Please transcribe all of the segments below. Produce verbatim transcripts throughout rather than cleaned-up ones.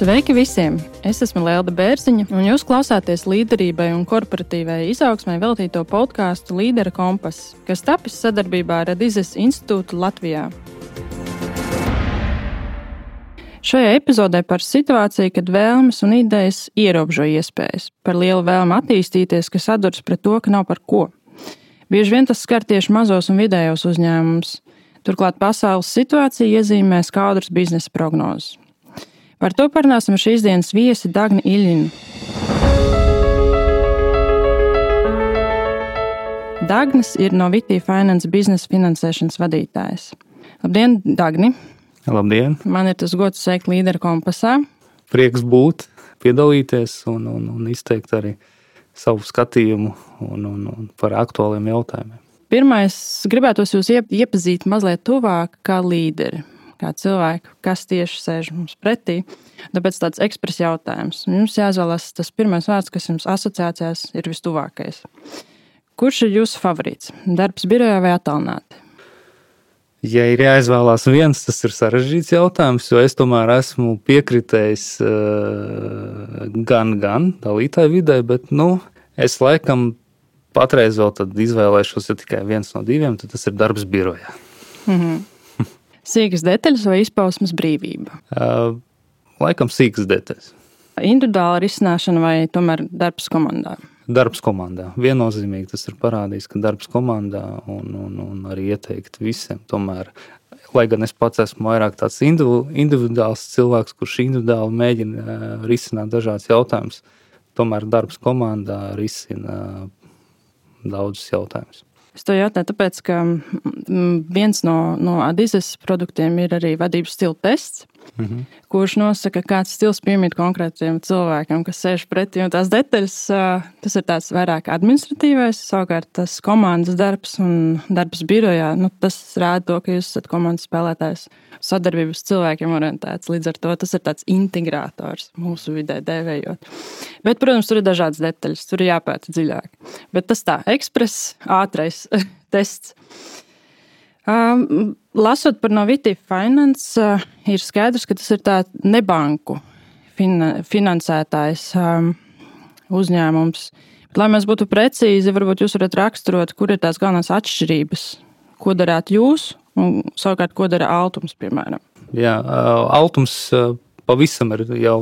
Sveiki visiem! Es esmu Lelda Bērziņa, un jūs klausāties līderībai un korporatīvai izaugsmai veltīto podkāstu Līdera kompass, kas tapis sadarbībā ar Adizes institūtu Latvijā. Šajā epizodē par situāciju, kad vēlmes un idejas ierobežo iespējas, par lielu vēlmu attīstīties, kas saduras pret to, ka nav par ko. Bieži vien tas skar tieši mazos un vidējos uzņēmumus. Turklāt pasaules situācija iezīmē skaudras biznesa prognozes. Par to parunāsim ar šīs dienas viesi Dagni Iļinu. Dagnis ir no Vitī Finance biznesa finansēšanas vadītājs. Labdien, Dagni! Labdien! Man ir tas gods sveikt Līdera kompasā. Prieks būt, piedalīties un, un, un izteikt arī savu skatījumu un, un, un par aktuāliem jautājumiem. Pirmais, gribētos jūs iepazīt mazliet tuvāk kā līderi, kā cilvēku, kas tieši sēž mums pretī. Tāpēc tāds ekspres jautājums. Jums jāizvēlas tas pirmais vārds, kas jums asociācijās ir vistuvākais. Kurš ir jūsu favorīts? Darbs birojā vai attālināti? Ja ir jāizvēlās viens, tas ir sarežģīts jautājums, jo es tomēr esmu piekritējis uh, gan, gan dalītāju vidē, bet, nu, es laikam patreiz vēl tad izvēlēšos, ja tikai viens no diviem, tad tas ir darbs birojā. Mm-hmm. Sīkas detaļas vai izpausmes brīvība? Uh, laikam sīkas detaļas. Individuāla risināšana vai tomēr darbs komandā? Darbs komandā. Viennozīmīgi tas ir parādījis, ka darbs komandā un, un, un arī ieteikt visiem. Tomēr, lai gan es pats esmu vairāk tāds individu, individuāls cilvēks, kurš individuāli mēģina uh, risināt dažādas jautājumus, tomēr darbs komandā risina daudzus jautājumus. Es to jautāju tāpēc, ka viens no, no Adizes produktiem ir arī vadības stila tests, mm-hmm. kurš nosaka, kāds stils piemīt konkrētiem cilvēkam, kas sēž pretī. Un tās detaļas, tas ir tāds vairāk administratīvais, savukārt tas komandas darbs un darbs birojā, nu, tas rāda to, ka jūs esat komandas spēlētājs, sadarbības cilvēkiem orientēts. Līdz ar to tas ir tāds integrātors mūsu vidē dēvējot. Bet, protams, tur ir dažādas detaļas, tur ir jāpēta dziļāk. Bet tas tā, ekspres, ātrais tests. Um, lasot par no Vitī Finance, uh, ir skaidrs, ka tas ir tā nebanku fin- finansētājs um, uzņēmums. Bet, lai mēs būtu precīzi, varbūt jūs varat raksturot, kur ir tās galvenās atšķirības, ko darāt jūs un savukārt, ko dara Altums, piemēram. Jā, uh, Altums uh, pavisam ir jau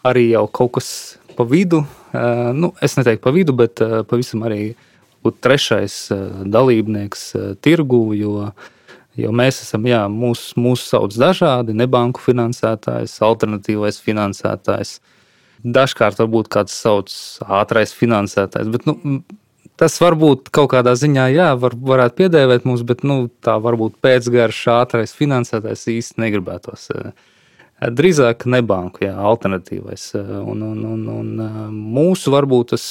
arī jau kaut kas pa vidu. Uh, nu, es neteiktu pa vidu, bet uh, pavisam arī būt trešais dalībnieks tirgu, jo, jo mēs esam, jā, mūs, mūs sauc dažādi, nebanku finansētājs, alternatīvais finansētājs. Dažkārt varbūt kāds sauc ātrais finansētājs, bet, nu, tas varbūt kaut kādā ziņā, jā, var, varētu piedēvēt mums, bet, nu, tā varbūt pēcgarš ātrais finansētājs īsti negribētos. Drīzāk nebanku, jā, alternatīvais. Un, un, un, un mūsu varbūt tas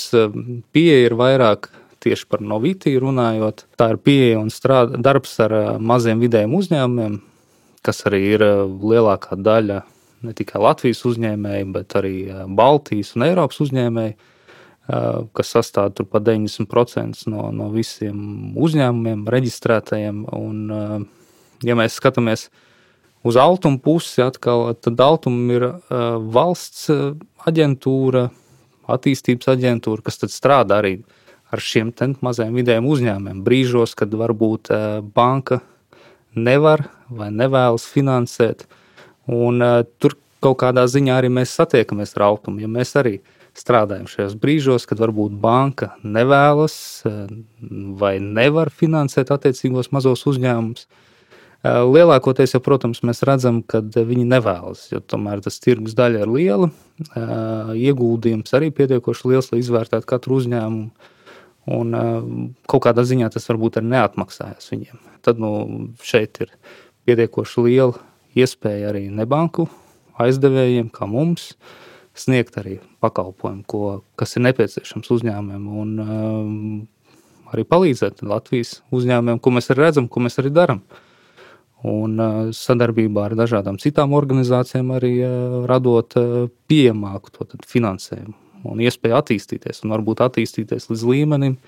pieeja ir vairāk tieši par no Vitī runājot. Tā ir pieeja un strāda, darbs ar maziem vidējiem uzņēmumiem, kas arī ir lielākā daļa ne tikai Latvijas uzņēmēji, bet arī Baltijas un Eiropas uzņēmēji, kas sastāv tur pa deviņdesmit procenti no, no visiem uzņēmumiem reģistrētajiem. Un, ja mēs skatāmies uz Altuma pusi atkal, tad Altuma ir valsts aģentūra, attīstības aģentūra, kas tad strādā arī ar šiem mazajiem vidējiem uzņēmumiem. Brīžos, kad varbūt banka nevar vai nevēlas finansēt. Un tur kaut kādā ziņā arī mēs satiekamies ar Altumu. Ja mēs arī strādājam šajos brīžos, kad varbūt banka nevēlas vai nevar finansēt attiecīgos mazos uzņēmumus, lielākoties jau, protams, mēs redzam, ka viņi nevēlas, jo tomēr tas tirgus daļa ir liela, ieguldījums arī pietiekoši liels, lai izvērtētu katru uzņēmumu. Un kaut kādā ziņā tas varbūt arī neatmaksājas viņiem. Tad nu, šeit ir pietiekoši liela iespēja arī nebanku aizdevējiem, kā mums, sniegt arī pakalpojumu, ko, kas ir nepieciešams uzņēmumiem, un um, arī palīdzēt Latvijas uzņēmumiem, ko mēs arī redzam, ko mēs arī daram. Un uh, sadarbībā ar dažādām citām organizācijām arī uh, radot uh, pieejamāku to tad finansējumu un iespēju attīstīties, un varbūt attīstīties līdz līmenim,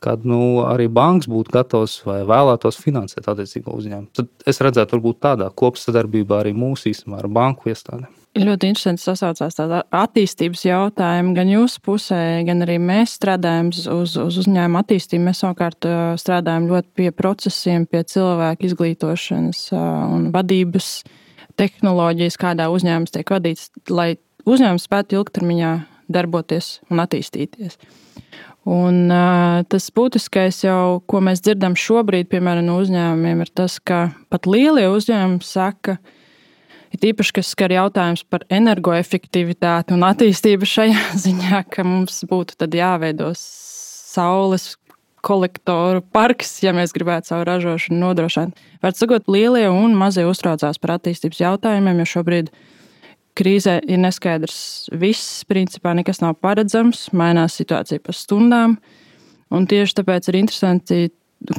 kad nu, arī banks būtu gatavs vai vēlētos finansēt attiecīgo uzņēmumu. Tad es redzētu, varbūt tādā kopsadarbībā arī mūsu īstenībā ar banku iestādēm. Ļoti interesanti sasaucās tāda attīstības jautājuma. Gan jūsu pusē, gan arī mēs strādājam uz, uz uzņēmuma attīstību. Mēs savukārt strādājam ļoti pie procesiem, pie cilvēku izglītošanas un vadības tehnoloģijas, kādā uzņēmums tiek vadīts, lai uzņēmums spētu ilgtermiņā darboties un attīstīties. Un uh, tas būtiskais jau, ko mēs dzirdam šobrīd, piemēram, no uzņēmumiem, ir tas, ka pat lielie uzņēmumi saka, ir īpaši, kas skar jautājums par energoefektivitāti un attīstību šajā ziņā, ka mums būtu tad jāveido saules kolektoru parks, ja mēs gribētu savu ražošanu nodrošināt. Var sakot, lielie un mazie uztraucās par attīstības jautājumiem, jo šobrīd krīzē ir neskaidrs viss, principā nekas nav paredzams, mainās situācija pa stundām, un tieši tāpēc ir interesanti,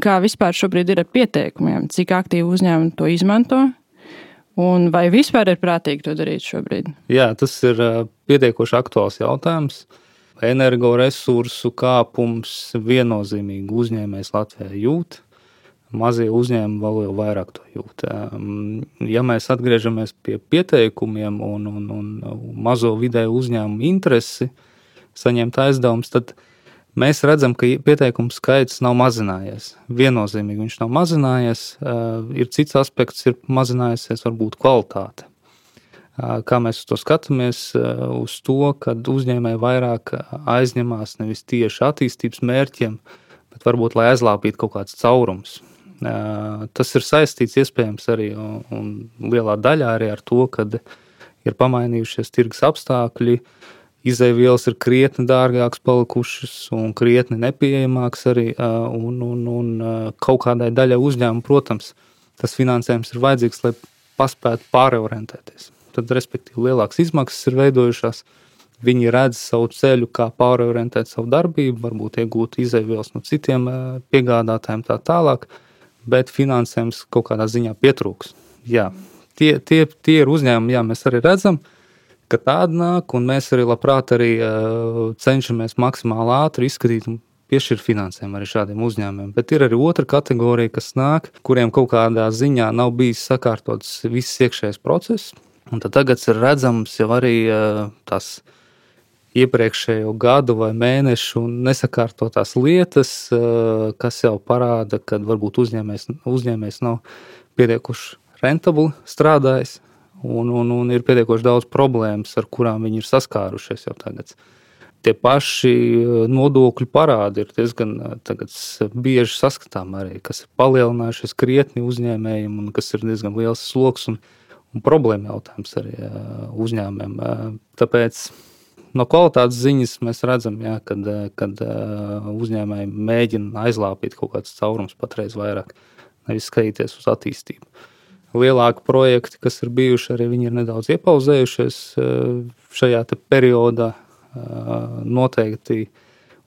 kā vispār šobrīd ir ar pieteikumiem, cik aktīvi uzņēmumi to izmanto, un vai vispār ir prātīgi to darīt šobrīd? Jā, tas ir pietiekoši aktuāls jautājums. Energoresursu kāpums viennozīmīgi uzņēmējs Latvijā jūt. Mazie uzņēmumi vēl jau vairāk to jūt. Ja mēs atgriežamies pie pieteikumiem un, un, un mazo vidēju uzņēmumu interesi saņemt aizdevumus, tad mēs redzam, ka pieteikumu skaits nav mazinājies. Viennozīmīgi viņš nav mazinājies. Ir cits aspekts, ir mazinājusies varbūt kvalitāte. Kā mēs uz to skatāmies, uz to, kad uzņēmēji vairāk aizņemās nevis tieši attīstības mērķiem, bet varbūt, lai aizlāpītu kaut kāds caurums. Tas ir saistīts iespējams arī un, un lielā daļā arī ar to, kad ir pamainījušies tirgus apstākļi, izejvielas ir krietni dārgākas palikušas un krietni nepieejamākas arī, un, un, un kaut kādai daļai uzņēmumu, protams, tas finansējums ir vajadzīgs, lai paspētu pārorientēties. Tad, respektīvi, lielākas izmaksas ir veidojušās, viņi redz savu ceļu, kā pārorientēt savu darbību, varbūt iegūt izejvielas no citiem piegādātājiem tā tālāk, bet finansējums kaut kādā ziņā pietrūks. Jā, tie, tie, tie ir uzņēmumi, jā, mēs arī redzam, ka tāda nāk, un mēs arī labprāt arī uh, cenšamies maksimāli ātri izskatīt un piešķirt finansējumu arī šādiem uzņēmumiem. Bet ir arī otra kategorija, kas nāk, kuriem kaut kādā ziņā nav bijis sakārtots viss iekšējais process, un tad tagad ir redzams jau arī uh, tās iepriekšējo gadu vai mēnešu nesakārtotās lietas, kas jau parāda, ka varbūt uzņēmējs, uzņēmējs nav pietiekuši rentabli strādājis un, un, un ir pietiekoši daudz problēmas, ar kurām viņi ir saskārušies jau tagad. Tie paši nodokļu parādi ir diezgan tagad bieži saskatām arī, kas ir palielinājušies krietni uzņēmējiem un kas ir diezgan liels sloks un, un problēma jautājums arī uzņēmējiem. Tāpēc no kvalitātes ziņas mēs redzam, jā, kad, kad uzņēmēji mēģina aizlāpīt kaut kāds caurums patreiz vairāk, nevis skatīties uz attīstību. Lielāki projekti, kas ir bijuši, arī viņi ir nedaudz iepauzējušies šajā te periodā. Noteikti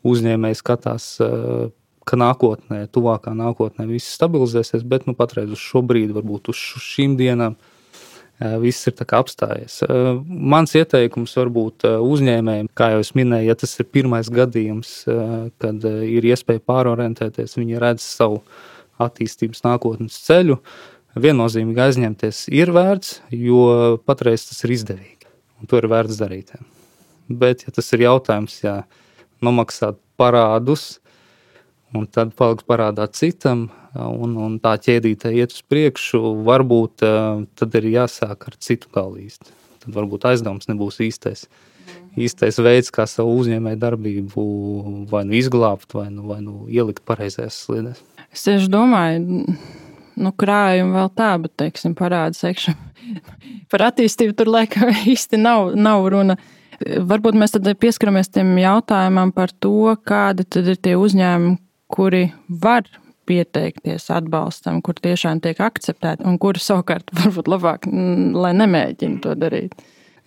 uzņēmēji skatās, ka nākotnē, tuvākā nākotnē viss stabilizēsies, bet nu patreiz uz šo brīdi, varbūt uz šīm dienām, viss ir tā kā apstājies. Mans ieteikums varbūt uzņēmējiem, kā jau es minēju, ja tas ir pirmais gadījums, kad ir iespēja pārorientēties, viņi redz savu attīstības nākotnes ceļu, viennozīmīgi aizņemties ir vērts, jo patreiz tas ir izdevīgi, un to ir vērts darīt. Bet, ja tas ir jautājums, ja nomaksāt parādus, un tad paliks parādā citam, un, un tā ķēdītē iet uz priekšu, varbūt tad ir jāsāk ar citu galu īsti. Tad varbūt aizdevums nebūs īstais, īstais veids, kā savu uzņēmēju darbību vai nu izglābt, vai nu, vai nu ielikt pareizajās sliedēs. Es tieši domāju, nu krājumi vēl tā, bet, teiksim, parāda sekšana. Par attīstību tur laikam īsti nav, nav runa. Varbūt mēs tad pieskaramies tiem jautājumam par to, kādi tad ir tie uzņēmumi, kuri var pieteikties atbalstam, kur tiešām tiek akceptēti un kuri savukārt varbūt labāk, lai nemēģina to darīt.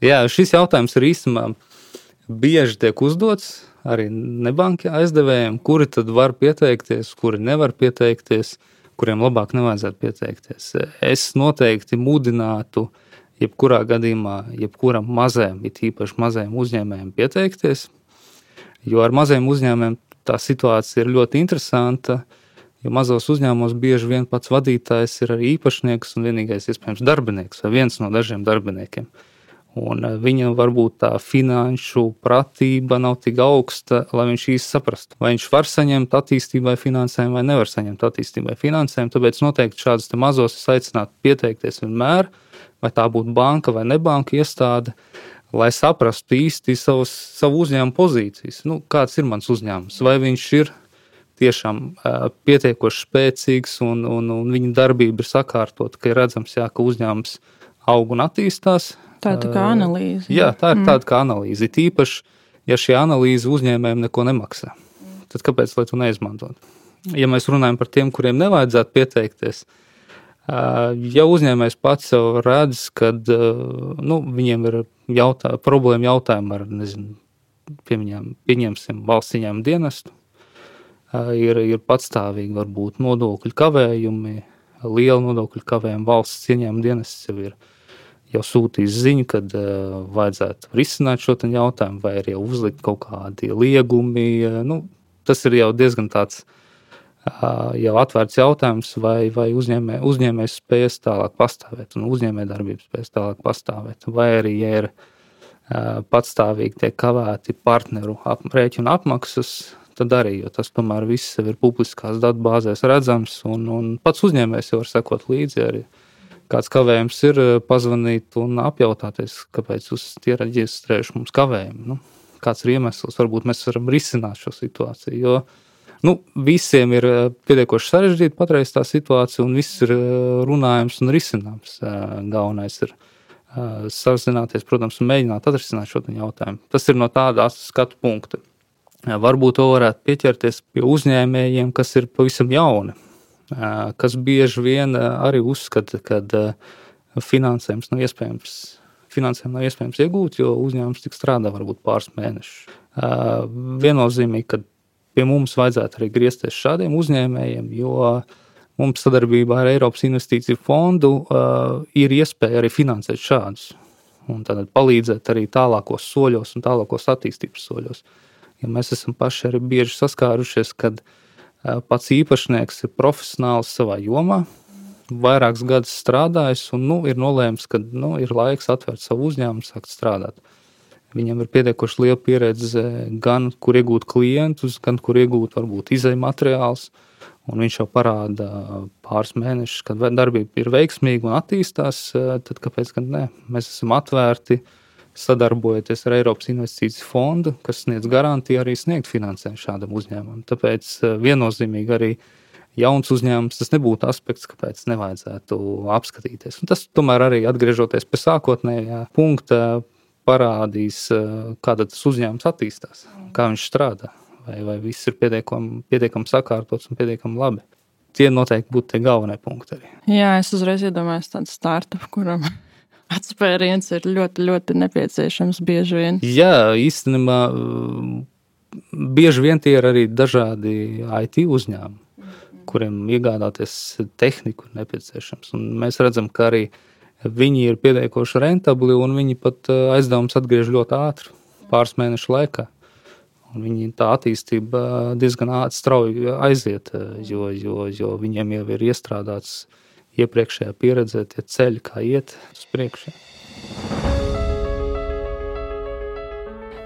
Jā, šis jautājums ir īstenībā bieži tiek uzdots arī nebanki aizdevējiem, kuri tad var pieteikties, kuri nevar pieteikties, kuriem labāk nevajadzētu pieteikties. Es noteikti mudinātu jebkurā gadījumā, jebkuram mazajam, it īpaši mazajam uzņēmējiem pieteikties, jo ar mazajiem uzņēmējiem tā situācija ir ļoti interesanta, jo mazos uzņēmumos bieži vien pats vadītājs ir arī īpašnieks un vienīgais iespējams darbinieks vai viens no dažiem darbiniekiem. Un viņa varbūt tā finanšu pratība nav tik augsta, lai viņš īsti saprastu, vai viņš var saņemt attīstībai finansējumu vai nevar saņemt attīstībai finansējumu. Tāpēc noteikti šādas te mazos es aicinātu pieteikties vienmēr, vai tā būtu banka vai nebanka iestāde, lai saprastu īsti savus, savu uzņēmumu pozīcijas. Nu, kāds ir mans uzņēmums? Vai viņš ir tiešām uh, pietiekoši spēcīgs un, un, un viņa darbība ir sakārtot, ka ir redzams, jā, ka uzņēmums aug un attīstās. Tā ir tā kā analīze. Uh, jā, tā ir mm. tāda kā analīze. Tīpaši, ja šī analīze uzņēmējiem neko nemaksā, tad kāpēc, lai to neizmantot? Ja mēs runājam par tiem, kuriem nevajadzētu pieteikties, ja uzņēmējs pats jau redz, kad nu, viņiem ir jautā, problēma jautājumi ar, nezinu, pieņem, pieņemsim valsts ieņēmumu dienestu, ir, ir patstāvīgi varbūt nodokļu kavējumi, liela nodokļu kavējumi, valsts ieņēmumu dienests jau ir jau sūtījis ziņu, kad vajadzētu risināt šo jautājumu, vai arī jau uzlikt kaut kādi liegumi. Nu, tas ir jau diezgan tāds jau atvērts jautājums, vai, vai uzņēmē, uzņēmējs spējas tālāk pastāvēt un uzņēmē darbības spējas tālāk pastāvēt. Vai arī, ja ir patstāvīgi tiek kavēti partneru ap, rēķinu apmaksas, tad arī, jo tas tomēr viss ir publiskās datubāzēs redzams un, un pats uzņēmējs jau var sekot līdzi arī. Kāds kavējums ir pazvanīt un apjautāties, kāpēc jūs tie reģistrējuši mums kavējumu. Nu, kāds ir iemesls, varbūt mēs varam risināt šo situāciju, jo nu, visiem ir pietiekoši sarežģīti patreiz tā situācija un viss ir runājums un risināms. Galvenais ir sazināties, protams, un mēģināt atrisināt šo jautājumu. Tas ir no tāda skatu punkta. Varbūt to varētu pieķerties pie uzņēmējiem, kas ir pavisam jauni, kas bieži vien arī uzskata, ka finansējums nav iespējams, finansējumu nav iespējams iegūt, jo uzņēmums tik strādā varbūt pāris mēnešus. Viennozīmīgi, ka pie mums vajadzētu arī griezties šādiem uzņēmējiem, jo mums sadarbībā ar Eiropas investīciju fondu uh, ir iespēja arī finansēt šādus un tad palīdzēt arī tālākos soļos un tālākos attīstības soļos. Ja mēs esam paši arī bieži saskārušies, kad uh, pats īpašnieks ir profesionāls savā jomā, vairākus gadus strādājis un nu, ir nolēms, ka nu, ir laiks atvērt savu uzņēmumu, sākt strādāt. Viņam ir pietiekoši liela pieredze gan, kur iegūt klientus, gan, kur iegūt varbūt izēju materiāls, un viņš jau parāda pāris mēnešus, kad darbība ir veiksmīga un attīstās, tad kāpēc gan ne? Mēs esam atvērti, sadarbojoties ar Eiropas investīciju fondu, kas sniedz garantiju arī sniegt finansējumu šādam uzņēmumam. Tāpēc viennozīmīgi arī jauns uzņēmums, tas nebūtu aspekts, kāpēc nevajadzētu apskatīties. Un tas tomēr arī atgriežoties pie sākotnējā punkta, parādīs, kā tas uzņēmums attīstās, kā viņš strādā, vai, vai viss ir pietiekami, pietiekami sakārtots un pietiekami labi. Tie noteikti būtu tie galvenie punkti arī. Jā, es uzreiz iedomājos tādu startup, kuram atspēriens ir ļoti, ļoti nepieciešams bieži vien. Jā, īstenībā bieži vien tie ir arī dažādi I T uzņēmumi, kuriem iegādāties tehniku ir nepieciešams. Un mēs redzam, ka arī viņi ir pietiekoši rentabli un viņi pat aizdevums atgriež ļoti ātri, pāris mēnešu laikā. Un viņi tā attīstība diezgan ātri strauji aiziet, jo, jo, jo viņiem jau ir iestrādāts iepriekšējā pieredzē tie ceļi, kā iet uz priekšu.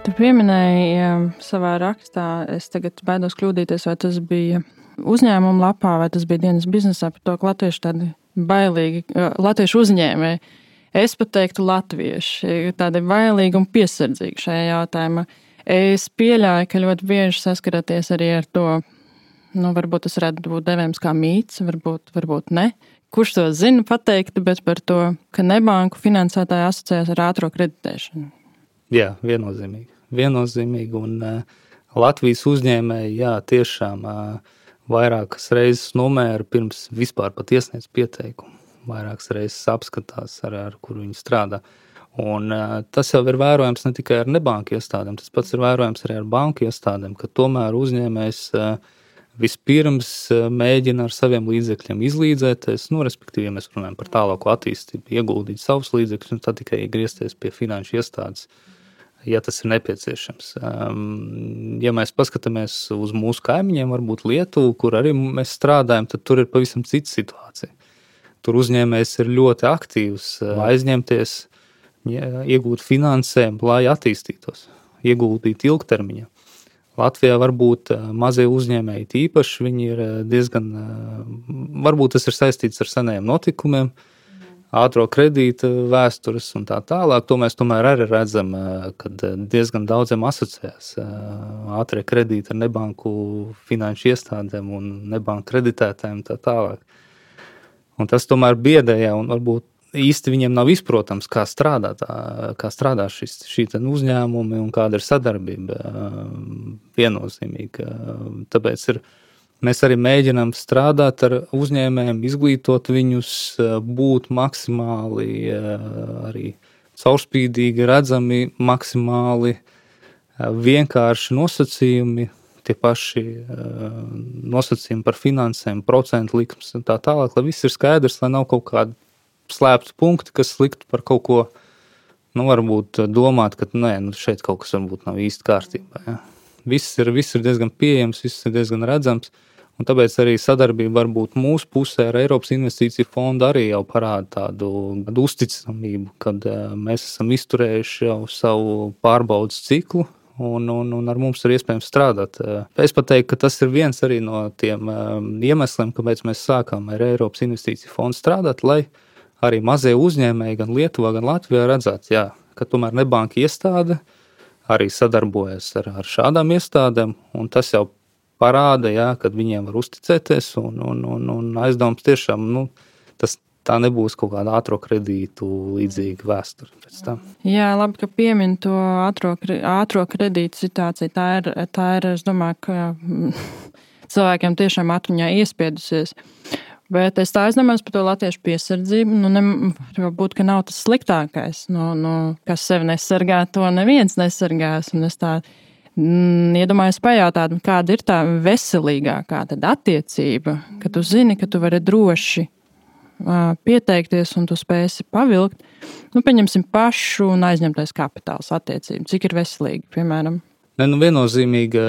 Tu pieminēji savā rakstā, es tagad baidos kļūdīties, vai tas bija uzņēmuma lapā, vai tas bija dienas biznesā, par to, ka latvieši tādi bailīgi, latviešu uzņēmēji, es pat teiktu latvieši, tādi bailīgi un piesardzīgi šajā jautājumā. Es pieļauju, ka ļoti bieži saskaraties arī ar to, nu, varbūt tas varētu būt devējams kā mīts, varbūt, varbūt ne. Kurš to zina pateikt, bet par to, ka nebanku finansētāji asociējas ar ātro kreditēšanu. Jā, viennozīmīgi. Viennozīmīgi, un uh, Latvijas uzņēmēji, jā, tiešām uh, vairākas reizes nomēra pirms vispār pat iesniedz pieteikumu. Vairākas reizes apskatās, ar, ar kuru viņi strādā. Un uh, tas jau ir vērojams ne tikai ar nebanku iestādēm, tas pats ir vērojams arī ar banku iestādēm, ka tomēr uzņēmējs uh, vispirms uh, mēģina ar saviem līdzekļiem izlīdzēties, nu, respektīvi, ja mēs runājam par tālāko attīstību, ieguldīt savus līdzekļus un tad tikai griezties pie finanšu iestādes, ja tas ir nepieciešams. Ja mēs paskatāmies uz mūsu kaimiņiem, varbūt Lietuvu, kur arī mēs strādājam, tad tur ir pavisam cita situācija. Tur uzņēmējs ir ļoti aktīvs, aizņemties, iegūt finansējumu, lai attīstītos, ieguldīt ilgtermiņā. Latvijā varbūt mazie uzņēmēji tīpaši, viņi ir diezgan, varbūt tas ir saistīts ar senajiem notikumiem, ātro kredīta vēstures un tā tālāk. To mēs tomēr arī redzam, kad diezgan daudziem asociējās ātrie kredīti ar nebanku finanšu iestādēm un nebanku kreditētājiem tā tālāk. Un tas tomēr biedēja un varbūt īsti viņiem nav izprotams, kā strādā, tā, kā strādā šis, šī uzņēmumi un kāda ir sadarbība viennozīmīgi. Tāpēc ir, mēs arī mēģinām strādāt ar uzņēmējiem, izglītot viņus, būt maksimāli arī caurspīdīgi, redzami, maksimāli vienkārši nosacījumi, tie paši nosacījumi par finansēm, procentu likmes un tā tālāk, lai viss ir skaidrs, lai nav kaut kāda slēptu punkti, kas liktu par kaut ko, nu, varbūt domāt, ka nē, nu, šeit kaut kas varbūt nav īsti kārtībā. Ja. Viss ir, viss ir diezgan pieejams, viss ir diezgan redzams, un tāpēc arī sadarbība varbūt mūsu pusē ar Eiropas investīciju fondu arī jau parāda tādu, tādu uzticamību, kad uh, mēs esam izturējuši jau savu pārbaudas ciklu, un, un, un ar mums ir iespējams strādāt. Es pat teiktu, ka tas ir viens arī no tiem uh, iemesliem, kāpēc mēs sākām ar Eiropas investīciju fondu strādāt, lai arī mazie uzņēmēji gan Lietuvā, gan Latvijā redzētu, jā, ka tomēr nebanka iestāde arī sadarbojas ar, ar šādām iestādēm, un tas jau parāda, jā, kad viņiem var uzticēties, un, un, un, un aizdevums tiešām, nu, tas tā nebūs kaut kāda ātro kredītu līdzīga vēsture pēc tam. Jā, labi, ka piemin to ātro, ātro kredītu situāciju. Tā ir, tā ir, es domāju, ka cilvēkiem tiešām atmiņā iespiedusies. Bet es tā aizdomājos par to latviešu piesardzību. Nu, ne, varbūt, ka nav tas sliktākais. Nu, nu, kas sevi nesargā, to neviens nesargās. Un es tā mm, iedomājos pajautāt, kāda ir tā veselīgākā tad attiecība, ka tu zini, ka tu vari droši uh, pieteikties un tu spēsi pavilkt. Nu, pieņemsim pašu un aizņemtais kapitāls attiecību. Cik ir veselīgi, piemēram? Ne, nu viennozīmīgi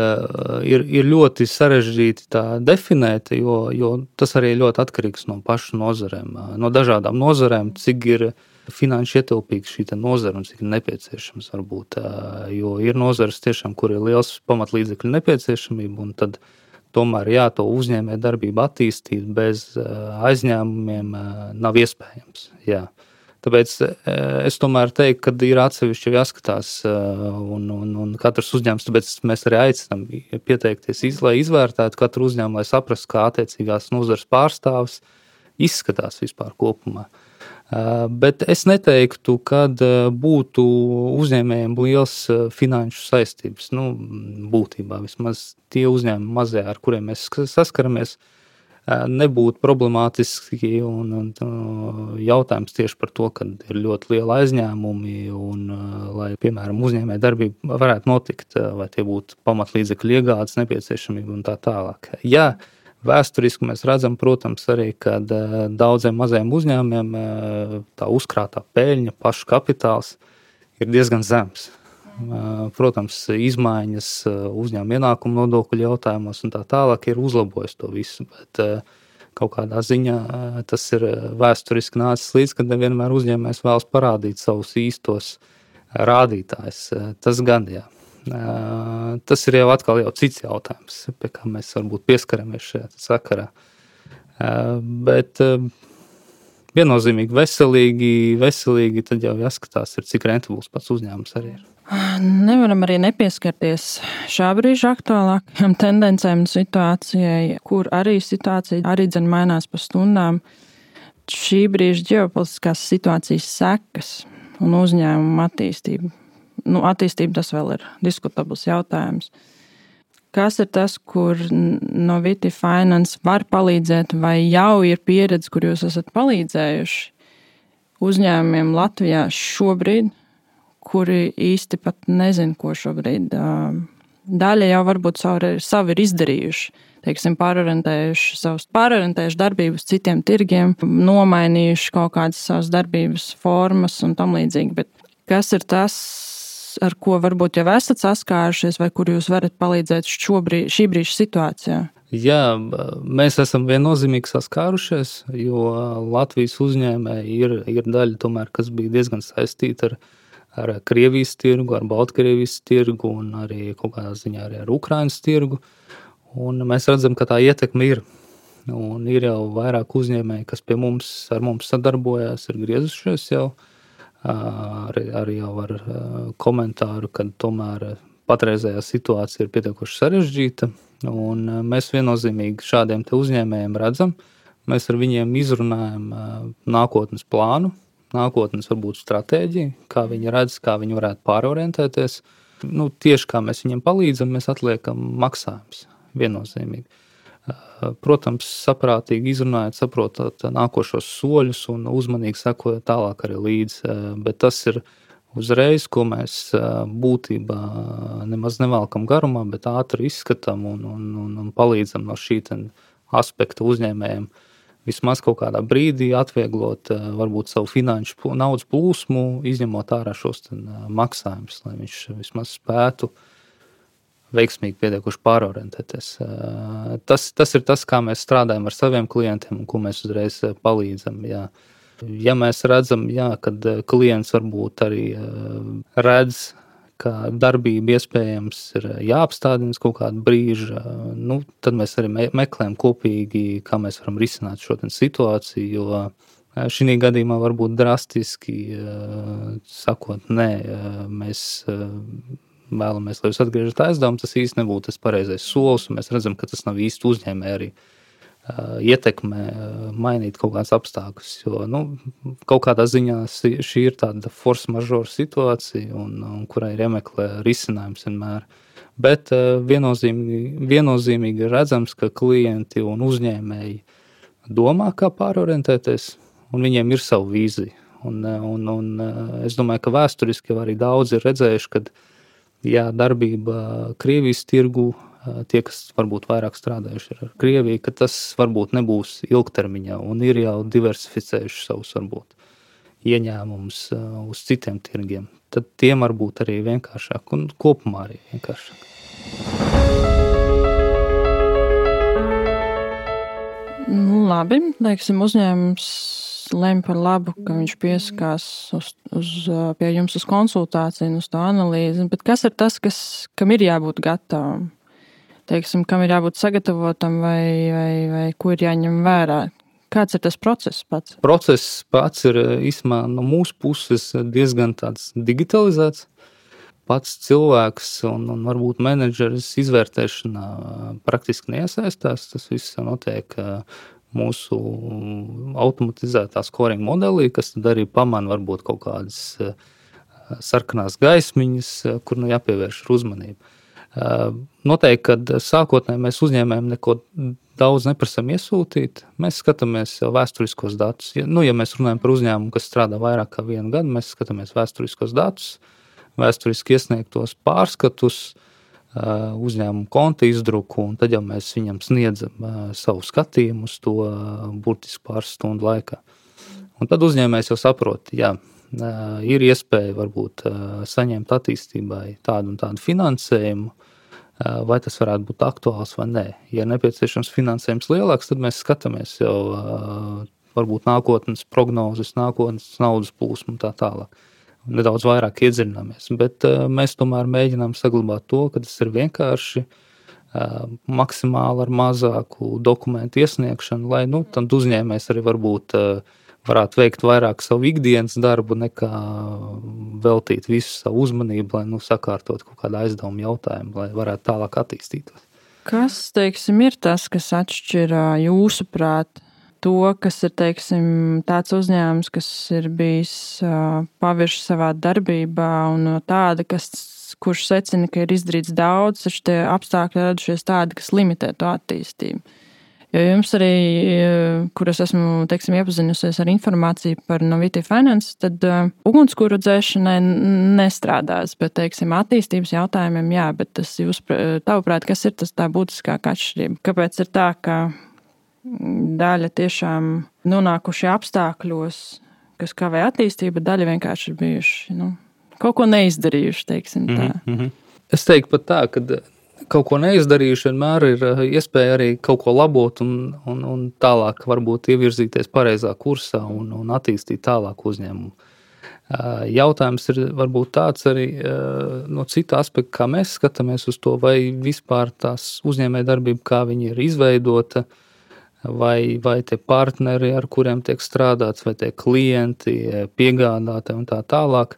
ir, ir ļoti sarežģīti tā definēt, jo, jo tas arī ļoti atkarīgs no pašu nozarēm, no dažādām nozarēm, cik ir finanši ietilpīga šī nozara un cik ir nepieciešams varbūt, jo ir nozares tiešām, kur ir liels pamatlīdzekļu nepieciešamība, un tad tomēr jā, to uzņēmē darbību attīstīt bez aizņēmumiem nav iespējams, jā. Tāpēc es tomēr teiktu, ka ir atsevišķi jāskatās un, un, un katrs uzņēmums, tāpēc mēs arī aicinām pieteikties, iz, lai izvērtētu katru uzņēmumu, lai saprastu, kā attiecīgās nozares pārstāvis izskatās vispār kopumā. Bet es neteiktu, kad būtu uzņēmējiem liels finanšu saistības. Nu, būtībā vismaz tie uzņēmumi mazie, ar kuriem mēs saskaramies, nebūtu problemātiski un, un jautājums tieši par to, ka ir ļoti liela aizņēmumi un, lai, piemēram, uzņēmē darbība varētu notikt, vai tie būtu pamatlīdzekļu iegādes nepieciešamība un tā tālāk. Jā, vēsturiski mēs redzam, protams, arī, ka daudziem mazajiem uzņēmumiem tā uzkrātā peļņa, pašu kapitāls ir diezgan zems. Protams, izmaiņas uzņēmuma ienākumu nodokļu jautājumos un tā tālāk ir uzlabojis to visu, bet kaut kādā ziņā tas ir vēsturiski nācis līdz, kad nevienmēr uzņēmējs vēlas parādīt savus īstos rādītājus. Tas gan, jā. Tas ir jau atkal jau cits jautājums, pie kā mēs varbūt pieskaramies šajā sakarā. Bet viennozīmīgi veselīgi, veselīgi tad jau jāskatās, ir, cik rentabls pats uzņēmums arī ir. Nevaram arī nepieskarties šā brīža aktuālākajām tendencēm un situācijai, kur arī situācija arī dzen mainās pa stundām. Šī brīža ģeopolitiskās situācijas sekas un uzņēmuma attīstība. Nu, attīstība tas vēl ir diskutabls jautājums. Kas ir tas, kur Noviti Finance var palīdzēt vai jau ir pieredze, kur jūs esat palīdzējuši uzņēmumiem Latvijā šobrīd, kuri īsti pat nezin, ko šobrīd. Daļa jau varbūt savu, savu ir izdarījuši, teiksim, pārorientējuši savus, pārorientējuši darbības citiem tirgiem, nomainījuši kaut kādas savas darbības formas un tam līdzīgi. Bet kas ir tas, ar ko varbūt jau esat saskārušies vai kur jūs varat palīdzēt šobrīd, šī brīža situācijā? Jā, mēs esam viennozīmīgi saskārušies, jo Latvijas uzņēmēji ir, ir daļa tomēr, kas bija diezgan saistīta ar, ar Krievijas tirgu, ar Baltkrievijas tirgu un arī kaut kādā ziņā arī ar Ukrainas tirgu. Un mēs redzam, ka tā ietekme ir. Un ir jau vairāk uzņēmēji, kas pie mums, ar mums sadarbojās, ir griezušies jau. Arī, arī jau ar komentāru, ka tomēr patreizējā situācija ir pietiekoši sarežģīta. Un mēs viennozīmīgi šādiem te uzņēmējiem redzam. Mēs ar viņiem izrunājam nākotnes plānu, nākotnes varbūt stratēģiju, kā viņi redz, kā viņi varētu pārorientēties. Nu, tieši kā mēs viņiem palīdzam, mēs atliekam maksājumus viennozīmīgi. Protams, saprātīgi izrunājot, saprotot nākošos soļus un uzmanīgi sekojot tālāk arī līdzi, bet tas ir uzreiz, ko mēs būtībā nemaz nevalkam garumā, bet ātri izskatām un, un, un, un palīdzam no šī aspekta uzņēmējiem vismaz kaut kādā brīdī atvieglot varbūt savu finanšu naudas plūsmu, izņemot ārā šos maksājumus, lai viņš vismaz spētu veiksmīgi pietiekuši pārorientēties. Tas, tas ir tas, kā mēs strādājam ar saviem klientiem un ko mēs uzreiz palīdzam. Jā. Ja mēs redzam, jā, kad klients varbūt arī redz, ka darbība iespējams ir jāapstādina kaut kādu brīžu, nu, tad mēs arī meklējam kopīgi, kā mēs varam risināt šo situāciju, jo šī gadījumā varbūt drastiski sakot, nē, mēs vēlamies, lai jūs atgriežat aizdevumu, tas īsti nebūtu tas pareizais solis, un mēs redzam, ka tas nav īsti uzņēmē arī uh, ietekmē uh, mainīt kaut kāds apstākļus, jo, nu, kaut kādā ziņā šī ir tāda force majeure situācija, un, un kurai ir jāmeklē risinājums vienmēr. Bet uh, viennozīmīgi, viennozīmīgi redzams, ka klienti un uzņēmēji domā, kā pārorientēties, un viņiem ir savu vīziju. Un, un, un es domāju, ka vēsturiski jau arī daudz ir redzējuši, kad jā, darbība Krievijas tirgu, tie, kas varbūt vairāk strādājuši ar Krieviju, ka tas varbūt nebūs ilgtermiņā un ir jau diversificējuši savus varbūt ieņēmumus uz citiem tirgiem. Tad tiem varbūt arī vienkāršāk un kopumā arī vienkāršāk. Nu, labi, teiksim, uzņēmums lem par labu, ka viņš pieskās uz, uz, pie jums uz konsultāciju, uz to analīzi, bet kas ir tas, kas, kam ir jābūt gatavam? Teiksim, kam ir jābūt sagatavotam vai, vai, vai ko ir jāņem vērā? Kāds ir tas process pats? Process pats ir īsumā no mūsu puses diezgan tāds digitalizēts. Pats cilvēks un, un varbūt menedžeris izvērtēšanā praktiski neiesaistās. Tas viss notiek mūsu automatizētā scoring modelī, kas tad arī pamana varbūt kaut kādas sarkanās gaismiņas, kur nu jāpievērš uzmanību. Noteikti, kad sākotnēji mēs uzņēmējiem neko daudz neprasam iesūtīt, mēs skatāmies jau vēsturiskos datus. Ja, nu, ja mēs runājam par uzņēmumu, kas strādā vairāk kā vienu gadu, mēs skatāmies vēsturiskos datus, vēsturiski iesniegtos pārskatus, uzņēmumu konta izdruku, un tad jau mēs viņam sniedzam savu skatījumu uz to burtiski pāris stundu laikā. Un tad uzņēmējs jau saprot, jā, ir iespēja varbūt saņemt attīstībai tādu un tādu finansējumu, vai tas varētu būt aktuāls vai nē. Ja nepieciešams finansējums lielāks, tad mēs skatāmies jau varbūt nākotnes prognozes, nākotnes naudas plūsmu un tā tālāk. Nedaudz vairāk iedziļināmies, bet uh, mēs tomēr mēģinām saglabāt to, ka tas ir vienkārši uh, maksimāli ar mazāku dokumentu iesniegšanu, lai nu, tad uzņēmējs arī varbūt uh, varētu veikt vairāk savu ikdienas darbu, nekā veltīt visu savu uzmanību, lai nu, sakārtot kaut kādu aizdevumu jautājumu, lai varētu tālāk attīstītos. Kas, teiksim, ir tas, kas atšķir jūsuprāt to, kas ir, teiksim, tāds uzņēmums, kas ir bijis uh, pavirši savā darbībā un tāda, kas, kurš secina, ka ir izdarīts daudz, taču tie apstākļi radušies tādi, kas limitē to attīstību. Jo jums arī, kur es esmu, teiksim, iepazinusies ar informāciju par Noviti Finance, tad uh, ugunskura dzēšanai nestrādās, bet, teiksim, attīstības jautājumiem jā, bet tas jūs, tavuprāt, kas ir tas tā būtiskākā atšķirība? Kāpēc ir tā, ka daļa tiešām nonākuši apstākļos, kas kavē attīstību, daļa vienkārši ir bijuši, nu, kaut ko neizdarījuši, teiksim tā. Mm-hmm. Es teiktu pat tā, ka kaut ko neizdarījuši vienmēr ir iespēja arī kaut ko labot un, un, un tālāk varbūt ievirzīties pareizā kursā un, un attīstīt tālāk uzņēmumu. Jautājums ir varbūt tāds arī no cita aspekta, kā mēs skatāmies uz to, vai vispār tās uzņēmējdarbība, kā viņi ir izveidota, vai, vai tie partneri, ar kuriem tiek strādāts, vai tie klienti, piegādātāji un tā tālāk,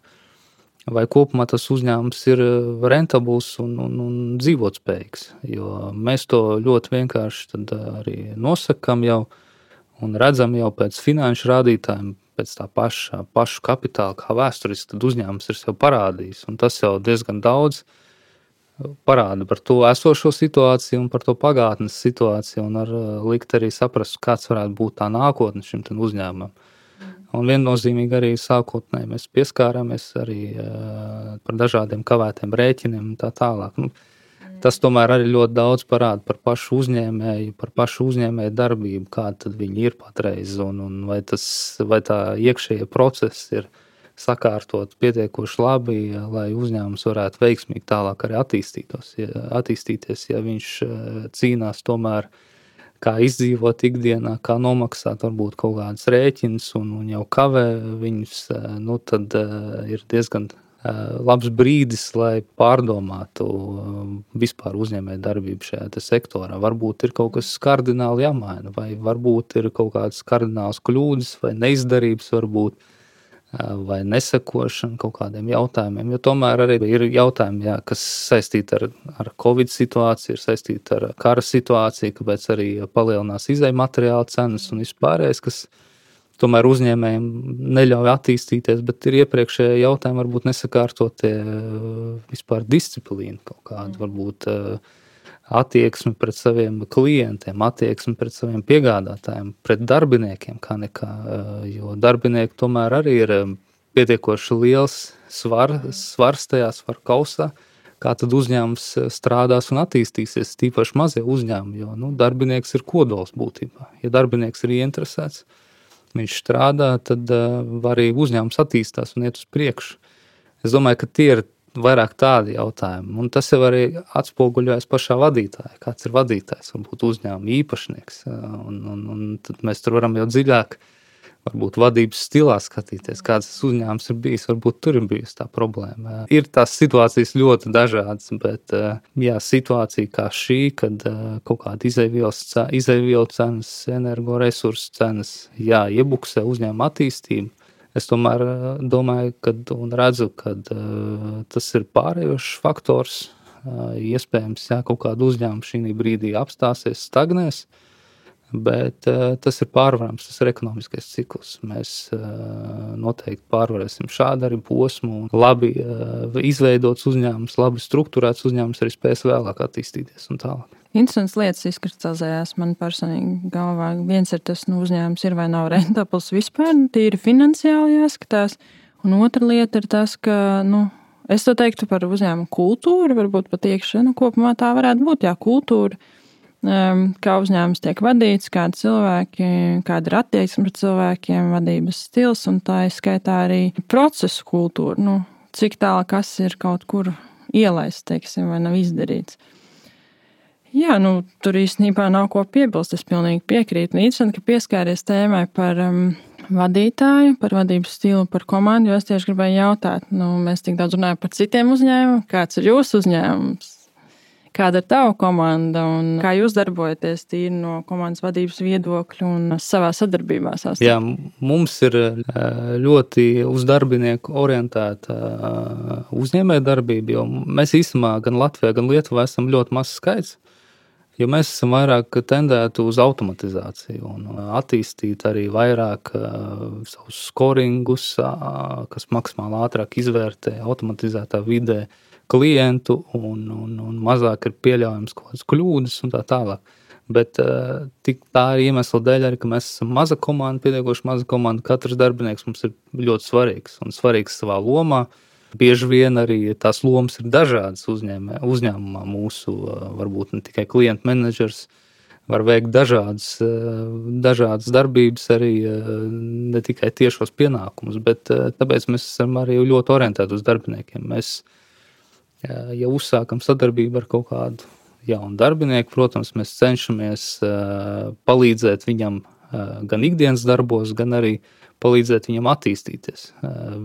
vai kopumā tas uzņēmums ir rentabls un, un, un dzīvotspējīgs. Jo mēs to ļoti vienkārši tad arī nosakam jau un redzam jau pēc finanšu rādītājiem, pēc tā paša, pašu kapitāla, kā vēsturiski, tad uzņēmums ir sev parādījis. Un tas jau diezgan daudz parāda par to esošo situāciju un par to pagātnes situāciju un ar likt arī saprast, kāds varētu būt tā nākotne šim uzņēmumam. Un viennozīmīgi arī sākotnēji mēs pieskārāmies arī uh, par dažādiem kavētiem rēķiniem un tā tālāk. Nu, tas tomēr arī ļoti daudz parāda par pašu uzņēmēju, par pašu uzņēmēju darbību, kāda tad viņi ir patreiz, un, un vai, tas, vai tā iekšējie procesi ir sakārtot pietiekoši labi, lai uzņēmums varētu veiksmīgi tālāk arī attīstītos, ja, attīstīties, ja viņš cīnās tomēr, kā izdzīvot ikdienā, kā nomaksāt varbūt kaut kādas rēķinas un, un jau kavē viņus, nu tad uh, ir diezgan labs brīdis, lai pārdomātu vispār uzņēmēju darbību šajā sektorā. Varbūt ir kaut kas kardināli jāmaina, vai varbūt ir kaut kādas kardinālas kļūdas, vai neizdarības varbūt, vai nesekošana kaut kādiem jautājumiem. Jo tomēr arī ir jautājumi, jā, kas saistīti ar, ar Covid situāciju, ir saistīti ar kara situāciju, kāpēc arī palielinās izēju materiālu cenas un vispārējais, kas tomēr uzņēmējiem neļauj attīstīties, bet ir iepriekšējie jautājumi varbūt nesakārtotie vispār disciplīna kaut kāda, varbūt attieksmi pret saviem klientiem, attieksmi pret saviem piegādātājiem, pret darbiniekiem kā nekā, jo darbinieki tomēr arī ir pietiekoši liels svar, svars tajā svaru kausā, kā tad uzņēmums strādās un attīstīsies, tīpaši mazie uzņēmumi, jo nu, darbinieks ir kodols būtībā. Ja darbinieks ir ieinteresēts, viņš strādā, tad uh, arī uzņēmums attīstās un iet uz priekšu. Es domāju, ka tie ir vairāk tādi jautājumi. Un tas jau arī atspoguļojas pašā vadītājā. Kāds ir vadītājs, varbūt uzņēmuma īpašnieks. Un, un, un tad mēs tur varam jau dziļāk, varbūt vadības stilā skatīties, kāds tas uzņēmums ir bijis. Varbūt tur ir bijusi tā problēma. Ir tās situācijas ļoti dažādas, bet jā, situācija kā šī, kad kaut kāda izēvielu cenas, energoresursu cenas, jā, iebuksē uzņēmuma attīstību. Es tomēr domāju, kad, un redzu, ka tas ir pārējošs faktors. Iespējams, jā, kaut kāda uzņēmuma šī brīdī apstāsies, stagnēs. Bet uh, tas ir pārvarams, tas ir ekonomiskais cikls. Mēs uh, noteikti pārvarēsim šādu arī posmu. Labi uh, izveidots uzņēmums, labi strukturēts uzņēmums arī spēs vēlāk attīstīties un tālāk. Interesants lietas izkristalizējās man personīgi galvā. Viens ir tas, nu, uzņēmums ir vai nav rentabls vispār, tīri finansiāli jāskatās. Un otra lieta ir tas, ka, nu, es to teiktu par uzņēmumu kultūru, varbūt pat iekšā, nu, kopumā tā varētu būt, jā, kultūra. Kā uzņēmums tiek vadīts, kādi cilvēki, kāda ir attieksme pret cilvēkiem, vadības stils un tā izskaitā arī procesu kultūra. Nu, cik tālu kas ir kaut kur ielaists, teiksim, vai nav izdarīts. Jā, nu, tur īstenībā nav ko piebilst, es pilnīgi piekrītu. Interesanti, ka pieskāries tēmai par um, vadītāju, par vadības stilu, par komandu, jo es tieši gribēju jautāt, nu, mēs tik daudz runājam par citiem uzņēmumiem, kāds ir jūsu uzņēmums? Kāda ir tava komanda un kā jūs darbojaties tīri no komandas vadības viedokļa un savā sadarbībā? Sastāv? Jā, mums ir ļoti uz darbinieku orientēta uzņēmējdarbība, jo mēs īstenībā gan Latvijā, gan Lietuvā esam ļoti mazs skaits, jo mēs esam vairāk tendēti uz automatizāciju un attīstīt arī vairāk savus scoringus, kas maksimāli ātrāk izvērtē automatizētā vidē klientu un, un, un mazāk ir pieļaujams kaut kādas kļūdas un tā tālāk. Bet uh, tik tā ir iemesla dēļ arī, ka mēs esam maza komanda, pietiekoši maza komanda. Katrs darbinieks mums ir ļoti svarīgs un svarīgs savā lomā. Bieži vien arī tās lomas ir dažādas uzņēmē, uzņēmumā mūsu, uh, varbūt ne tikai klientu menedžers var veikt dažādas, dažādas darbības, arī ne tikai tiešos pienākumus, bet tāpēc mēs esam arī ļoti orientēti uz darbiniekiem. Mēs, ja uzsākam sadarbību ar kaut kādu jaunu darbinieku, protams, mēs cenšamies palīdzēt viņam gan ikdienas darbos, gan arī palīdzēt viņam attīstīties,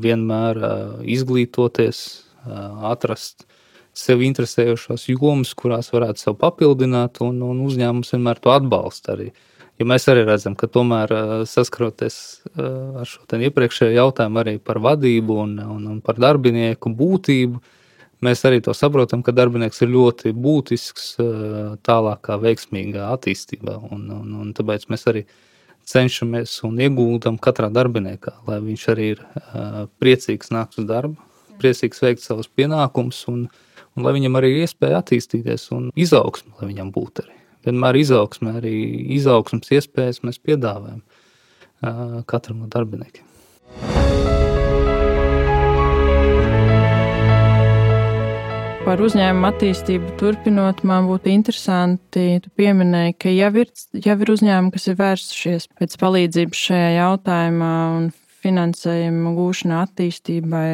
vienmēr izglītoties, atrast sev interesējošās jomas, kurās varētu sev papildināt, un, un uzņēmums vienmēr to atbalsta arī. Ja mēs arī redzam, ka tomēr saskaroties ar šo ten iepriekšējo jautājumu arī par vadību un, un, un par darbinieku būtību, mēs arī to saprotam, ka darbinieks ir ļoti būtisks tālākā veiksmīgā attīstībā, un, un, un tāpēc mēs arī cenšamies un ieguldam katrā darbiniekā, lai viņš arī ir uh, priecīgs nākt uz darbu, priecīgs veikt savus pienākumus un, un lai viņam arī ir iespēja attīstīties un izaugsme, lai viņam būtu arī. Vienmēr izaugsme, arī izaugsmes iespējas mēs piedāvājam uh, katram no darbiniekiem. Par uzņēmumu attīstību turpinot, man būtu interesanti, tu pieminēji, ka jau ir, jau ir uzņēmumi, kas ir vērsušies pēc palīdzības šajā jautājumā un finansējuma gūšanā attīstībai.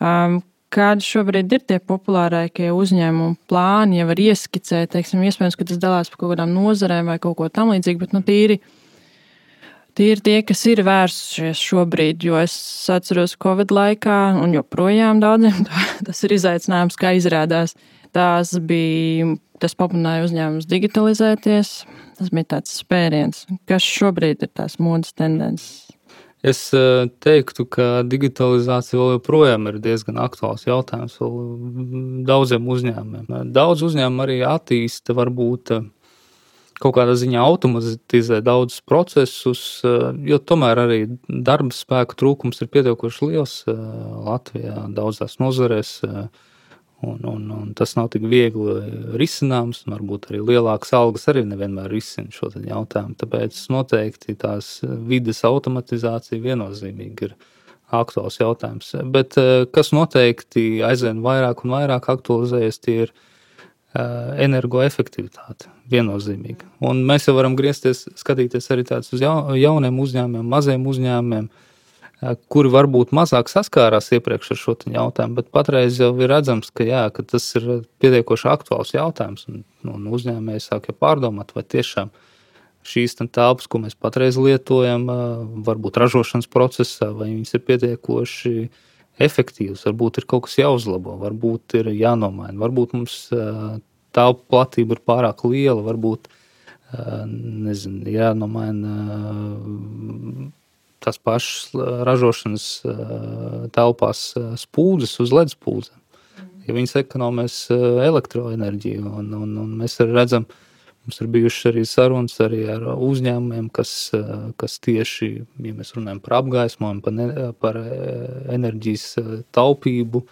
Um, kādi šobrīd ir tie populārākie uzņēmumu plāni, ja var ieskicēt, teiksim, iespējams, ka tas dalās par kaut kādām nozarēm vai kaut ko tam līdzīgi, bet nu tīri Tie ir tie, kas ir vērsušies šobrīd, jo es atceros Covid laikā, un joprojām daudziem tas ir izaicinājums, kā izrādās. Tās bija, tas pamudināja uzņēmumus digitalizēties, tas bija tāds spēriens. Kas šobrīd ir tās modes tendences? Es teiktu, ka digitalizācija vēl joprojām ir diezgan aktuāls jautājums vēl daudziem uzņēmumiem. Daudz uzņēmumu arī attīsta varbūt kaut kādā ziņā automatizē daudzus procesus, jo tomēr arī darba spēku trūkums ir pietiekoši liels Latvijā daudzās nozarēs, un, un, un tas nav tik viegli risināms, un varbūt arī lielākas algas arī nevienmēr risina šo jautājumu, tāpēc noteikti tās vides automatizācija viennozīmīgi ir aktuāls jautājums. Bet kas noteikti aizvien vairāk un vairāk aktualizējas, tie ir energoefektivitāte viennozīmīgi. Un mēs jau varam griezties, skatīties arī tādus uz jauniem uzņēmumiem, maziem uzņēmumiem, kuri varbūt mazāk saskārās iepriekš ar šo jautājumu, bet patreiz jau ir redzams, ka, jā, ka tas ir pietiekoši aktuāls jautājums, un, un uzņēmēji sāk jau pārdomāt, vai tiešām šīs telpas, ko mēs patreiz lietojam, varbūt ražošanas procesā, vai viņas ir pietiekoši efektīvs, varbūt ir kaut kas jāuzlabo, varbūt ir jānomaina, varbūt mums telpu platība ir pārāk liela, varbūt, nezinu, jānomaina tās pašas ražošanas telpās spūdzes uz led spūdzēm, ja viņas ekonomēs elektroenerģiju, un, un, un mēs arī redzam, mums ir bijušas arī sarunas arī ar uzņēmumiem, kas, kas tieši, ja mēs runājam par apgaismojumu, par, ne, par enerģijas taupību,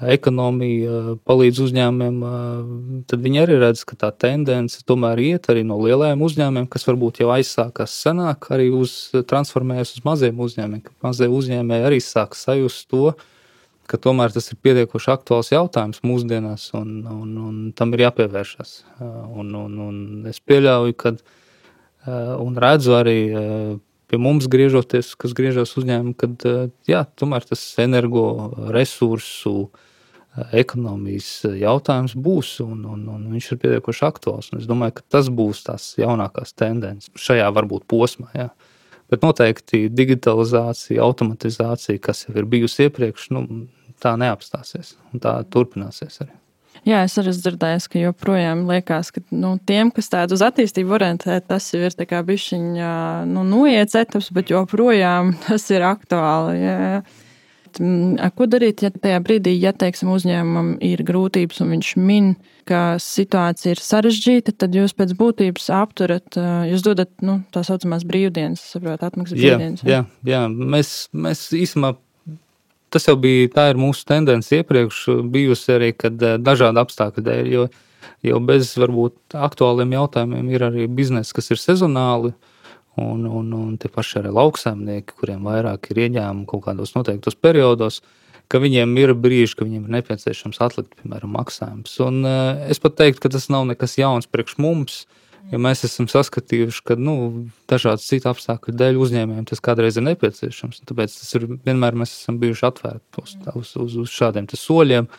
ekonomiju, palīdz uzņēmumiem, tad viņi arī redz, ka tā tendence tomēr iet arī no lielajiem uzņēmumiem, kas varbūt jau aizsākās senāk, arī uz, transformējas uz maziem uzņēmumiem, ka mazie uzņēmēji arī sāk sajust to, ka tomēr tas ir pietiekoši aktuāls jautājums mūsdienās, un, un, un tam ir jāpievēršas. Un, un, un es pieļauju, kad, un redzu arī pie mums griežoties, kas griežas uzņēmumu, kad jā, tomēr tas energo resursu, ekonomijas jautājums būs, un, un, un viņš ir pietiekoši aktuāls. Un es domāju, ka tas būs tās jaunākās tendences šajā varbūt posmā, jā. Bet noteikti digitalizācija, automatizācija, kas jau ir bijusi iepriekš, nu, tā neapstāsies, un tā turpināsies arī. Jā, es arī dzirdēju, ka joprojām liekas, ka nu, tiem, kas tādu uz attīstību orientē, tas jau ir tā kā bišķiņa, nu, noiets etaps, bet joprojām tas ir aktuāli. Jā. Ko darīt, ja tajā brīdī, ja, teiksim, uzņēmumam ir grūtības un viņš min, ka situācija ir sarežģīta, tad jūs pēc būtības apturat, jūs dodat, nu, tā saucamās brīvdienas, saprot, atmaksas brīvdienas. Jā, jā, jā. Mēs, mēs īsumā, tas jau bija, tā ir mūsu tendence iepriekš bijusi arī, kad dažādi apstākļi dēļ, jo, jo bez varbūt aktuāliem jautājumiem ir arī biznesi, kas ir sezonāli, un, un, un tie paši arī lauksaimnieki, kuriem vairāk ir ieņēmumi kaut kādos noteiktos periodos, ka viņiem ir brīži, ka viņiem ir nepieciešams atlikt, piemēram, maksājums. Un es pat teiktu, ka tas nav nekas jauns priekš mums, Jo mēs esam saskatījuši, ka nu, dažādas citu apstākļu dēļ uzņēmējiem tas kādreiz ir nepieciešams. Tāpēc tas ir, vienmēr mēs esam bijuši atvērti uz, uz, uz, uz šādiem soļiem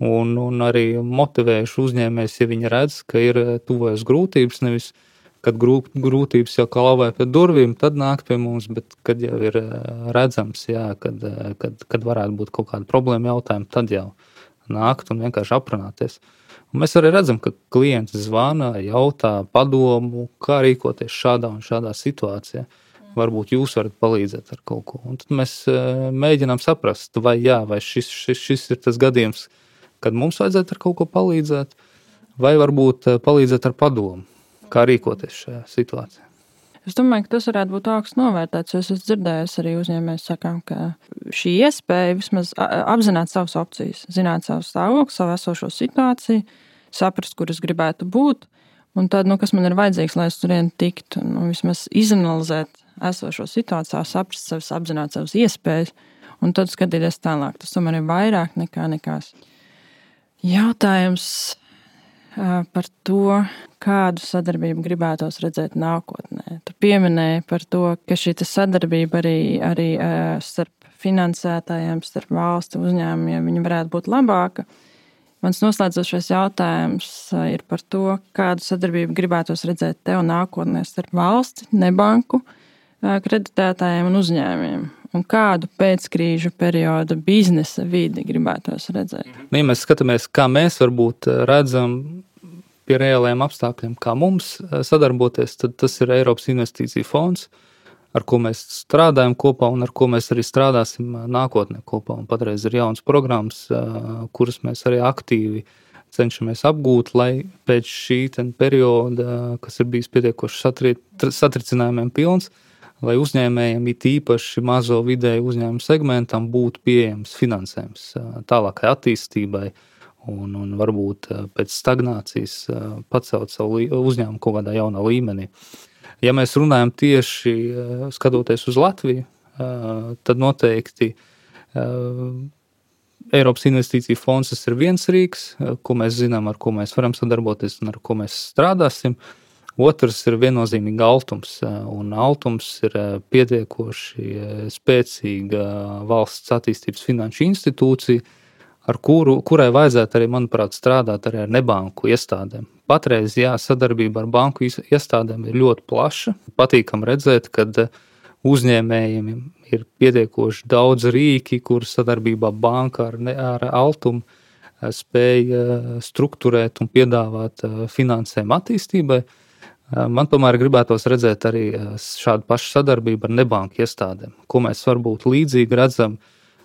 un, un arī motivējuši uzņēmējus, ja viņi redz, ka ir tuvojas grūtības, nevis kad grūtības jau klauvē pie durvīm, tad nāk pie mums, bet kad jau ir redzams, jā, kad, kad, kad varētu būt kaut kāda problēma jautājuma, tad jau nākt un vienkārši aprunāties. Un mēs arī redzam, ka klienti zvana, jautā padomu, kā rīkoties šādā un šādā situācijā. Varbūt jūs varat palīdzēt ar kaut ko. Un tad mēs mēģinām saprast, vai jā, vai šis, šis, šis ir tas gadījums, kad mums vajadzētu ar kaut ko palīdzēt, vai varbūt palīdzēt ar padomu, kā rīkoties šajā situācijā. Es domāju, ka tas varētu būt augsts novērtēts, jo es esmu dzirdējis arī uzņēmējus sakām, ka šī iespēja vismaz apzināt savas opcijas, zināt savu stāvokli, savu esošo situāciju, saprast, kur es gribētu būt, un tad, nu, kas man ir vajadzīgs, lai es turien tiktu, nu, vismaz izanalizēt esošo situāciju, saprast savas, apzināt savas iespējas, un tad skatīties tālāk. Tas tomēr ir vairāk nekā nekās. Jautājums par to, kādu sadarbību gribētos redzēt nākotnē. Tu pieminēji par to, ka šī sadarbība arī, arī starp finansētājiem, starp valstu uzņēmumiem, viņi varētu būt labāka. Mans noslēdzošais jautājums ir par to, kādu sadarbību gribētos redzēt tev nākotnē starp valsti, nebanku, kreditētājiem un uzņēmumiem. Un kādu pēckrīžu periodu biznesa vidi gribētos redzēt? Ja mēs skatāmies, kā mēs varbūt redzam pie reāliem apstākļiem, kā mums sadarboties, tad tas ir Eiropas investīcija fonds, ar ko mēs strādājam kopā un ar ko mēs arī strādāsim nākotnē kopā. Un patreiz ir jaunas programmas, kuras mēs arī aktīvi cenšamies apgūt, lai pēc šī perioda, kas ir bijis pietiekoši satricinājumiem pilns, lai uzņēmējiem, it īpaši mazo vidēju uzņēmumu segmentam, būtu pieejams finansējums tālākai attīstībai un, un varbūt pēc stagnācijas pacelt savu uzņēmumu kaut kādā jaunā līmenī. Ja mēs runājam tieši skatoties uz Latviju, tad noteikti Eiropas investīcija fonds tas ir viens rīks, ko mēs zinām, ar ko mēs varam sadarboties un ar ko mēs strādāsim. Otrs ir viennozīmīgi Altums, un Altums ir pietiekoši spēcīga valsts attīstības finanšu institūcija, ar kuru, kurai vajadzētu arī, manuprāt, strādāt arī ar nebanku iestādēm. Patreiz, jā, sadarbība ar banku iestādēm ir ļoti plaša. Patīkam redzēt, kad uzņēmējiem ir pietiekoši daudz rīki, kur sadarbībā banka ar, ar Altumu spēja strukturēt un piedāvāt finansējumu attīstībai. Man tomēr gribētos redzēt arī šādu pašu sadarbību ar nebanku iestādēm, ko mēs varbūt līdzīgi redzam,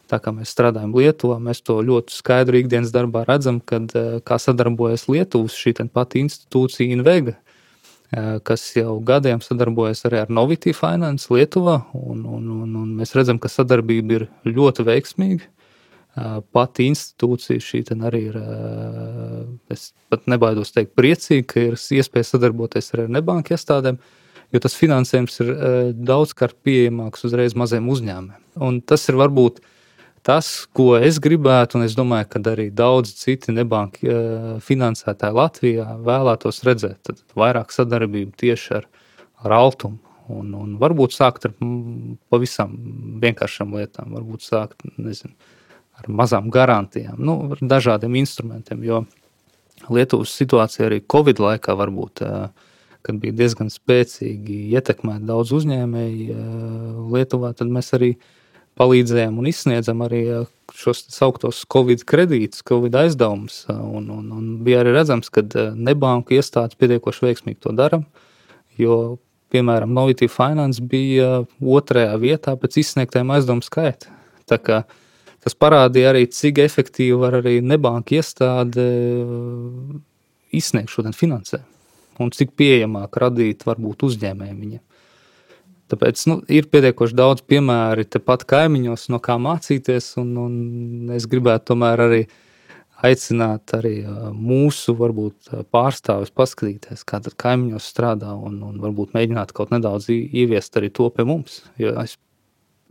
tā kā mēs strādājam Lietuvā, mēs to ļoti skaidru ikdienas darbā redzam, kad kā sadarbojas Lietuvas šī pati institūcija Invega, kas jau gadiem sadarbojas arī ar Novity Finance Lietuvā, un, un, un, un mēs redzam, ka sadarbība ir ļoti veiksmīga. Pati institūcija šī arī ir, es pat nebaidos teikt, priecīga, ka ir iespēja sadarboties arī ar nebanku iestādēm, jo tas finansējums ir daudzkārt pieejamāks uzreiz maziem uzņēmumiem. Un tas ir varbūt tas, ko es gribētu, un es domāju, ka arī daudzi citi nebanki finansētāji Latvijā vēlētos redzēt. Tad vairāk sadarbību tieši ar, ar Altumu. Un, un varbūt sākt ar pavisam vienkāršām lietām, varbūt sākt, nezinu, ar mazām garantijām, nu, ar dažādiem instrumentiem, jo Lietuvas situācija arī Covid laikā varbūt, kad bija diezgan spēcīgi ietekmēt daudz uzņēmēji Lietuvā, tad mēs arī palīdzējām un izsniedzam arī šos sauktos Covid kredītus, Covid aizdevumus, un, un, un bija arī redzams, ka nebanku iestādes pietiekoši veiksmīgi to dara, jo, piemēram, Novity Finance bija otrajā vietā pēc izsniegtajiem aizdevumu skaita. Tā kā tas parādīja arī, cik efektīvi var arī nebanka iestāde izsniegt šodien finansējumu un cik pieejamāk radīt varbūt uzņēmējiem viņiem. Tāpēc nu, ir pietiekoši daudz piemēri tepat kaimiņos, no kā mācīties, un, un es gribētu tomēr arī aicināt arī mūsu varbūt pārstāvis paskatīties, kā tad kaimiņos strādā, un, un varbūt mēģināt kaut nedaudz ieviest arī to pie mums. Jo es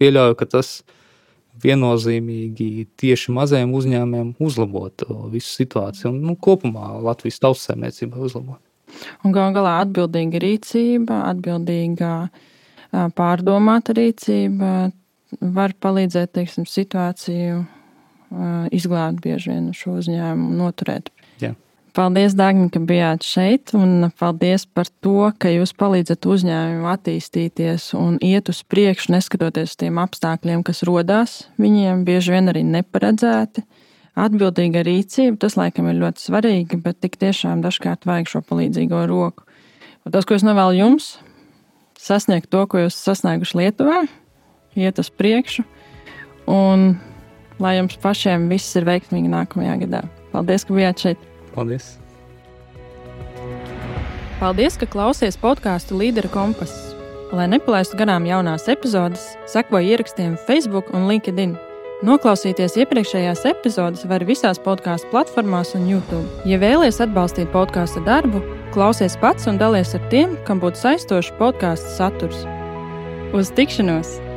pieļauju, ka tas viennozīmīgi tieši mazajiem uzņēmumiem uzlabot visu situāciju un nu, kopumā Latvijas tautssaimniecībai uzlabot. Un gal galā atbildīga rīcība, atbildīga pārdomāta rīcība var palīdzēt, teiksim, situāciju izglābt bieži vien šo uzņēmumu, noturēt. Jā. Paldies, Dagni, ka bijāt šeit, un paldies par to, ka jūs palīdzat uzņēmumu attīstīties un iet uz priekšu, neskatoties tiem apstākļiem, kas rodās viņiem, bieži vien arī neparedzēti. Atbildīga rīcība, tas laikam ir ļoti svarīgi, bet tik tiešām dažkārt vajag šo palīdzīgo roku. Un tas, ko es novēlu jums, sasniegt to, ko jūs sasnieguši Lietuvā, iet uz priekšu, un lai jums pašiem viss ir veiksmīgi nākamajā gadā. Paldies, ka bijāt šeit. Paldies. Paldies, ka klausies podcastu Līdera kompass. Lai nepalaistu garām jaunās epizodes, sekoji ierakstiem Facebook un LinkedIn. Noklausīties iepriekšējās epizodes var visās podcastu platformās un YouTube. Ja vēlies atbalstīt podcastu darbu, klausies pats un dalies ar tiem, kam būtu saistošs podcastu saturs. Uz tikšanos!